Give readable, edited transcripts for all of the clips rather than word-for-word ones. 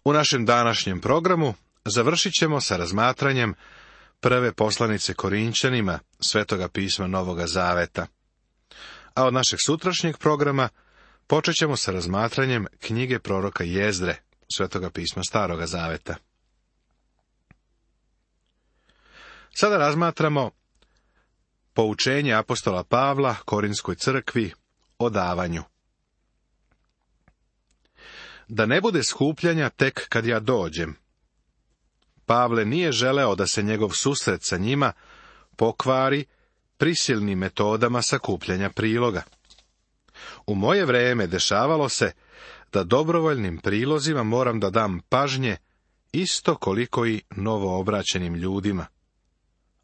U našem današnjem programu završit ćemo sa razmatranjem prve poslanice Korinćanima Svetoga pisma Novoga Zaveta. A od našeg sutrašnjeg programa počet ćemo sa razmatranjem knjige proroka Jezdre, Svetoga pisma Staroga Zaveta. Sada razmatramo poučenje apostola Pavla Korinskoj crkvi o davanju. Da ne bude skupljanja tek kad ja dođem. Pavle nije želeo da se njegov susret sa njima pokvari prisilnim metodama sakupljanja priloga. U moje vrijeme dešavalo se da dobrovoljnim prilozima moram da dam pažnje isto koliko i novoobraćenim ljudima.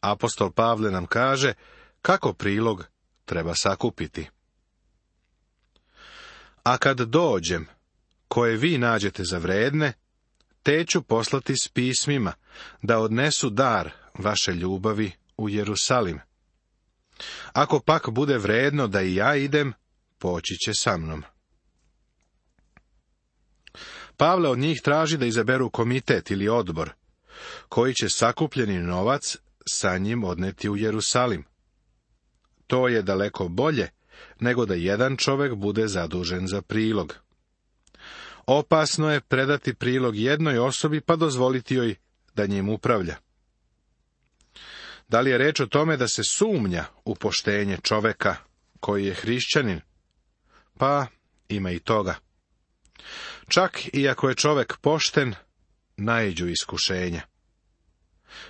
Apostol Pavle nam kaže kako prilog treba sakupiti. A kad dođem, koje vi nađete za vredne, te ću poslati s pismima, da odnesu dar vaše ljubavi u Jerusalim. Ako pak bude vredno da i ja idem, poći će sa mnom. Pavle od njih traži da izaberu komitet ili odbor, koji će sakupljeni novac sa njim odneti u Jerusalim. To je daleko bolje, nego da jedan čovjek bude zadužen za prilog. Opasno je predati prilog jednoj osobi pa dozvoliti joj da njim upravlja. Da li je reč o tome da se sumnja u poštenje čovjeka koji je hrišćanin? Pa ima i toga. Čak i ako je čovjek pošten, naiđu iskušenja.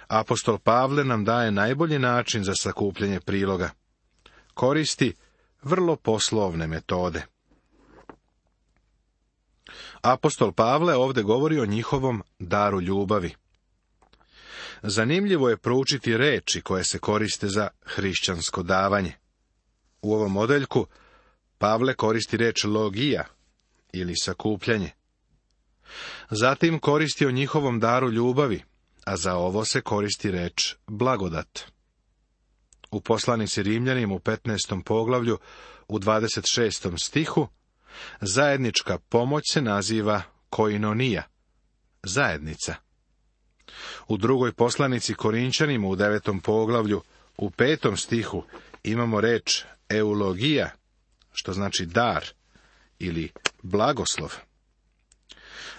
Apostol Pavle nam daje najbolji način za sakupljanje priloga. Koristi vrlo poslovne metode. Apostol Pavle ovdje govori o njihovom daru ljubavi. Zanimljivo je proučiti reči koje se koriste za hrišćansko davanje. U ovom odeljku Pavle koristi reč logija ili sakupljanje. Zatim koristi o njihovom daru ljubavi, a za ovo se koristi reč blagodat. U poslanici Rimljanima u 15. poglavlju u 26. stihu zajednička pomoć se naziva koinonija, zajednica. U drugoj poslanici Korinćanima u 9. poglavlju u 5. stihu imamo reč eulogija, što znači dar ili blagoslov.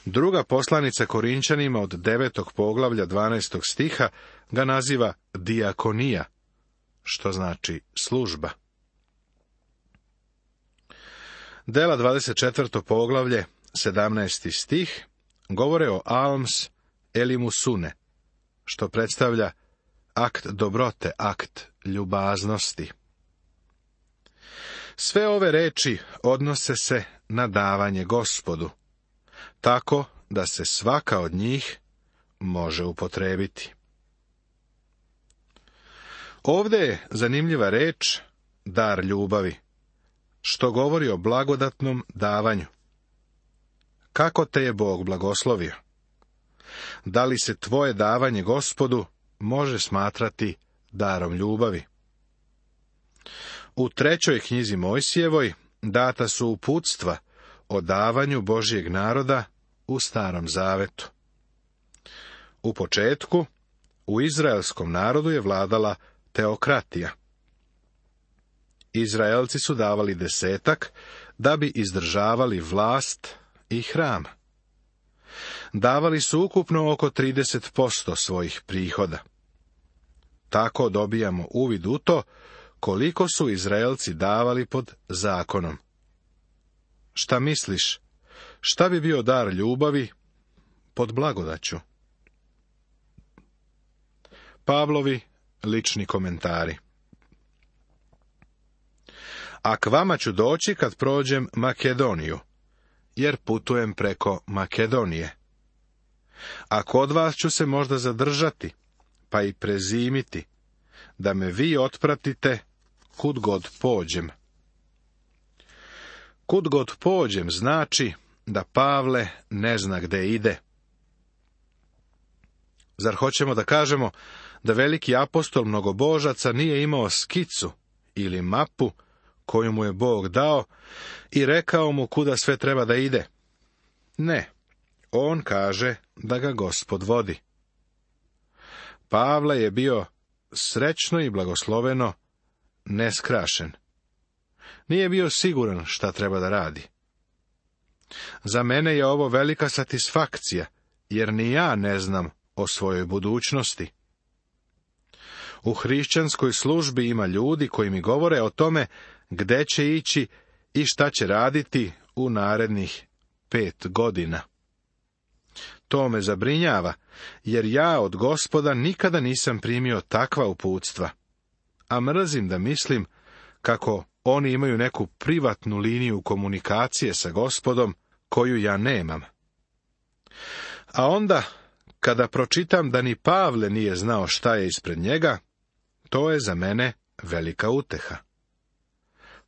Druga poslanica Korinćanima od 9. poglavlja 12. stiha ga naziva dijakonija, što znači služba. Dela 24. poglavlje, 17. stih, govore o alms elimusune, što predstavlja akt dobrote, akt ljubaznosti. Sve ove reči odnose se na davanje Gospodu, tako da se svaka od njih može upotrijebiti. Ovdje je zanimljiva reč dar ljubavi, što govori o blagodatnom davanju. Kako te je Bog blagoslovio? Da li se tvoje davanje Gospodu može smatrati darom ljubavi? U 3. knjizi Mojsijevoj data su uputstva o davanju Božjeg naroda u Starom Zavetu. U početku, u izraelskom narodu je vladala teokratija. Izraelci su davali 10 da bi izdržavali vlast i hram. Davali su ukupno oko 30% svojih prihoda. Tako dobijamo uvid u to koliko su Izraelci davali pod zakonom. Šta misliš, šta bi bio dar ljubavi pod blagodaću? Pavlovi lični komentari. A k vama ću doći kad prođem Makedoniju, jer putujem preko Makedonije. A kod vas ću se možda zadržati, pa i prezimiti, da me vi otpratite kud god pođem. Kud god pođem znači da Pavle ne zna gde ide. Zar hoćemo da kažemo da veliki apostol mnogobožaca nije imao skicu ili mapu koju mu je Bog dao i rekao mu kuda sve treba da ide? Ne, on kaže da ga Gospod vodi. Pavle je bio srećno i blagosloveno neskrašen. Nije bio siguran šta treba da radi. Za mene je ovo velika satisfakcija, jer ni ja ne znam o svojoj budućnosti. U hrišćanskoj službi ima ljudi koji mi govore o tome gde će ići i šta će raditi u narednih 5 godina. To me zabrinjava, jer ja od Gospoda nikada nisam primio takva uputstva, a mrzim da mislim kako oni imaju neku privatnu liniju komunikacije sa Gospodom koju ja nemam. A onda, kada pročitam da ni Pavle nije znao šta je ispred njega, to je za mene velika uteha.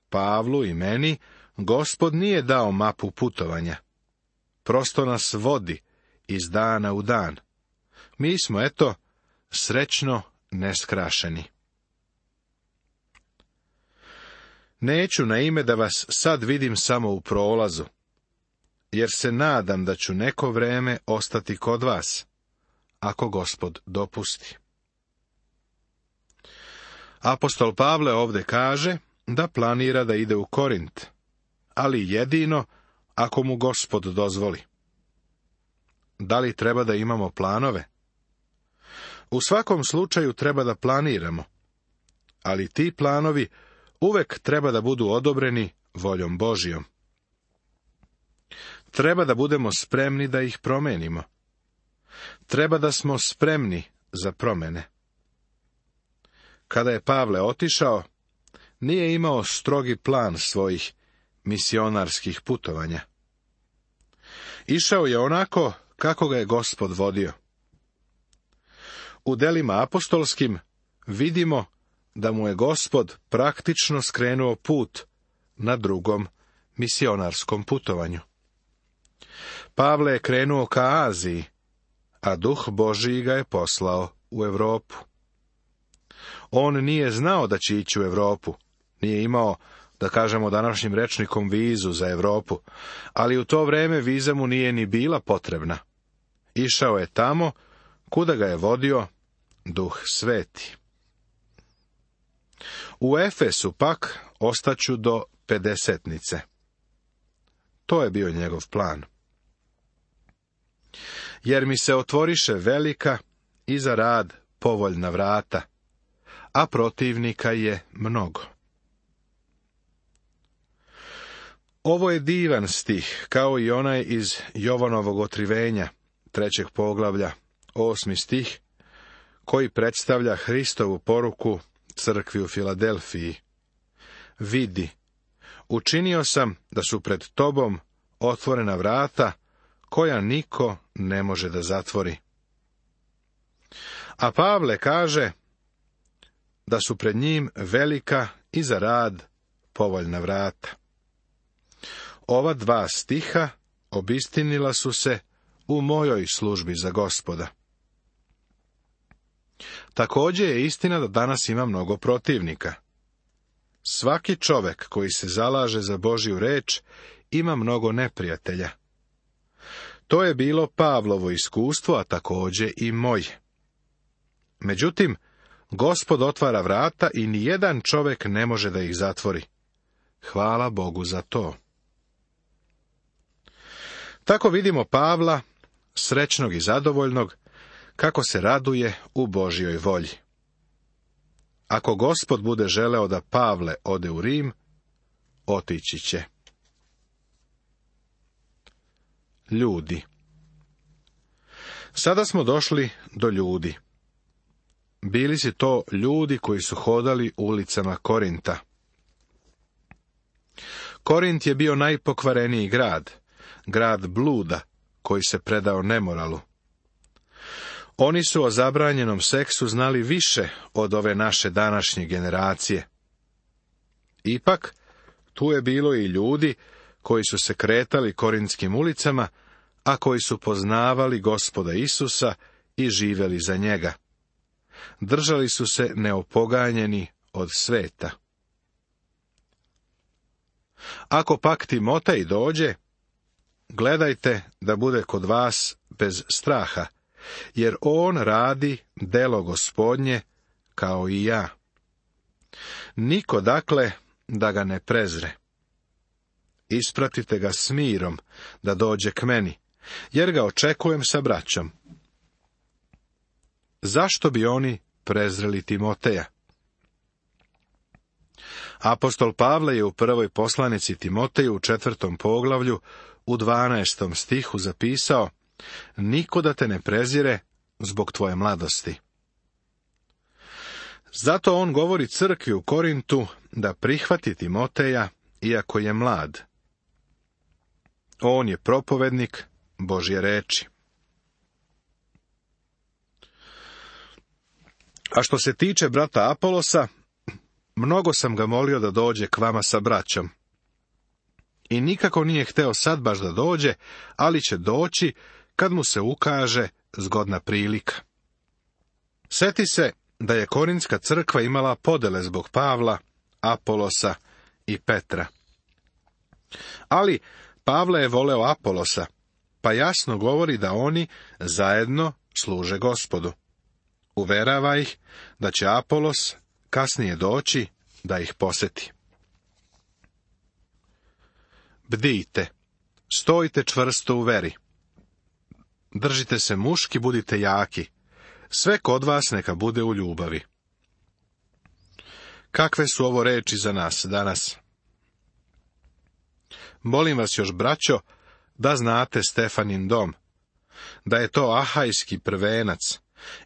Pavlu i meni Gospod nije dao mapu putovanja. Prosto nas vodi iz dana u dan. Mi smo, eto, srećno neskrašeni. Neću na ime da vas sad vidim samo u prolazu, jer se nadam da ću neko vreme ostati kod vas, ako Gospod dopusti. Apostol Pavle ovde kaže da planira da ide u Korint, ali jedino ako mu Gospod dozvoli. Da li treba da imamo planove? U svakom slučaju treba da planiramo, ali ti planovi uvek treba da budu odobreni voljom Božijom. Treba da budemo spremni da ih promenimo. Treba da smo spremni za promene. Kada je Pavle otišao, nije imao strogi plan svojih misionarskih putovanja. Išao je onako kako ga je Gospod vodio. U delima apostolskim vidimo da mu je Gospod praktično skrenuo put na drugom misionarskom putovanju. Pavle je krenuo ka Aziji, a Duh Božiji ga je poslao u Europu. On nije znao da će ići u Europu, nije imao, da kažemo današnjim rečnikom, vizu za Europu, ali u to vreme viza mu nije ni bila potrebna. Išao je tamo kuda ga je vodio Duh Sveti. U Efesu pak ostaću do Pedesetnice. To je bio njegov plan. Jer mi se otvoriše velika i za rad povoljna vrata, a protivnika je mnogo. Ovo je divan stih, kao i onaj iz Jovanovog otkrivenja, 3. poglavlja, 8. stih, koji predstavlja Hristovu poruku crkvi u Filadelfiji. Vidi, učinio sam da su pred tobom otvorena vrata, koja niko ne može da zatvori. A Pavle kaže da su pred njim velika i za rad povoljna vrata. Ova 2 stiha obistinila su se u mojoj službi za Gospoda. Također je istina da danas ima mnogo protivnika. Svaki čovek koji se zalaže za Božju reč ima mnogo neprijatelja. To je bilo Pavlovo iskustvo, a također i moje. Međutim, Gospod otvara vrata i nijedan čovek ne može da ih zatvori. Hvala Bogu za to. Tako vidimo Pavla, srećnog i zadovoljnog, kako se raduje u Božjoj volji. Ako Gospod bude želeo da Pavle ode u Rim, otići će. Ljudi. Sada smo došli do ljudi. Bili si to ljudi koji su hodali ulicama Korinta. Korint je bio najpokvareniji grad, grad bluda, koji se predao nemoralu. Oni su o zabranjenom seksu znali više od ove naše današnje generacije. Ipak, tu je bilo i ljudi koji su se kretali korintskim ulicama, a koji su poznavali Gospoda Isusa i živeli za njega. Držali su se neopoganjeni od sveta. Ako pak Timotej dođe, gledajte da bude kod vas bez straha, jer on radi delo Gospodnje kao i ja. Niko dakle da ga ne prezre. Ispratite ga s mirom da dođe k meni, jer ga očekujem sa braćom. Zašto bi oni prezreli Timoteja? Apostol Pavle je u prvoj poslanici Timoteju u 4. poglavlju u 12. stihu zapisao: niko da te ne prezire zbog tvoje mladosti. Zato on govori crkvi u Korintu da prihvati Timoteja, iako je mlad. On je propovednik Božje reči. A što se tiče brata Apolosa, mnogo sam ga molio da dođe k vama sa braćom. I nikako nije hteo sad baš da dođe, ali će doći kad mu se ukaže zgodna prilika. Seti se da je Korintska crkva imala podele zbog Pavla, Apolosa i Petra. Ali Pavle je voleo Apolosa, pa jasno govori da oni zajedno služe Gospodu. Uverava ih da će Apolos kasnije doći da ih poseti. Bdijte, stojite čvrsto u veri. Držite se muški, budite jaki. Sve kod vas neka bude u ljubavi. Kakve su ovo reči za nas danas? Molim vas još, braćo, da znate Stefanin dom, da je to ahajski prvenac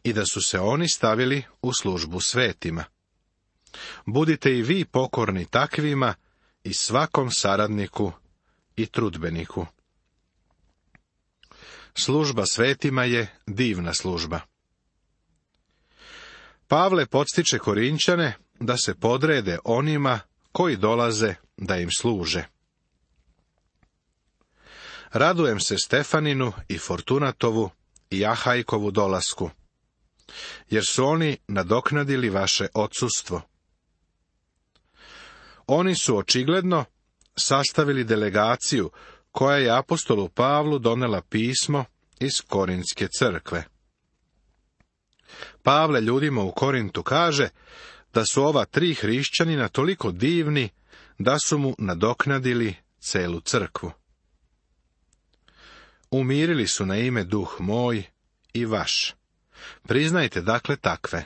i da su se oni stavili u službu svetima. Budite i vi pokorni takvima i svakom saradniku i trudbeniku. Služba svetima je divna služba. Pavle podstiče Korinćane da se podrede onima koji dolaze da im služe. Radujem se Stefaninu i Fortunatovu i Ahajkovu dolasku, jer su oni nadoknadili vaše odsustvo. Oni su očigledno sastavili delegaciju koja je apostolu Pavlu donela pismo iz Korintske crkve. Pavle ljudima u Korintu kaže da su ova 3 hrišćanina toliko divni da su mu nadoknadili celu crkvu. Umirili su na ime duh moj i vaš. Priznajte dakle takve.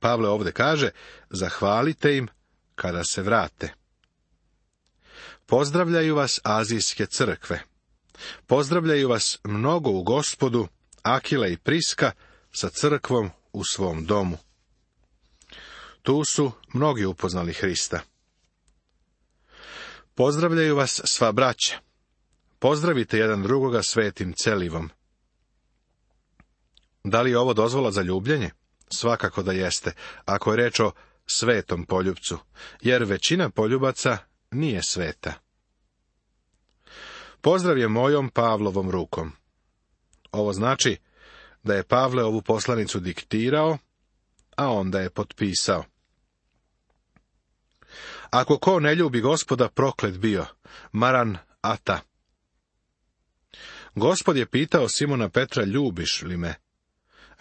Pavle ovdje kaže, zahvalite im kada se vrate. Pozdravljaju vas azijske crkve. Pozdravljaju vas mnogo u Gospodu, Akila i Priska sa crkvom u svom domu. Tu su mnogi upoznali Hrista. Pozdravljaju vas sva braća. Pozdravite jedan drugoga svetim celivom. Da li je ovo dozvola za ljubljenje? Svakako da jeste, ako je reč o svetom poljupcu, jer većina poljubaca nije sveta. Pozdrav je mojom Pavlovom rukom. Ovo znači da je Pavle ovu poslanicu diktirao, a onda je potpisao. Ako ko ne ljubi Gospoda, proklet bio. Maran ata. Gospod je pitao Simona Petra, ljubiš li me?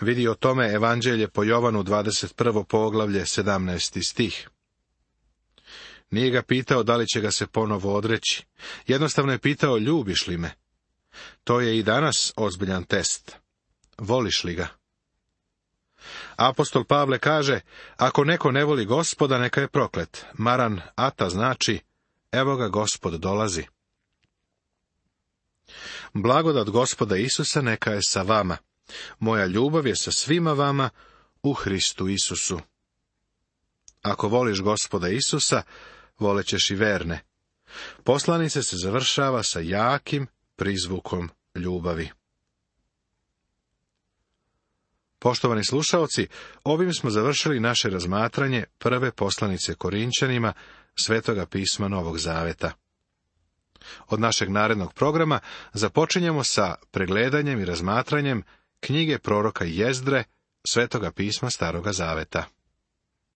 Vidi o tome Evanđelje po Jovanu 21. poglavlje 17. stih. Nije ga pitao da li će ga se ponovo odreći. Jednostavno je pitao, ljubiš li me? To je i danas ozbiljan test. Voliš li ga? Apostol Pavle kaže, ako neko ne voli Gospoda, neka je proklet. Maran ata znači, evo ga Gospod dolazi. Blagodat Gospoda Isusa neka je sa vama. Moja ljubav je sa svima vama u Hristu Isusu. Ako voliš Gospoda Isusa, volećeš i verne. Poslanica se završava sa jakim prizvukom ljubavi. Poštovani slušaoci, ovim smo završili naše razmatranje prve poslanice Korinćanima Svetoga pisma Novog Zaveta. Od našeg narednog programa započinjemo sa pregledanjem i razmatranjem knjige proroka Jezdre, Svetoga pisma Staroga Zaveta.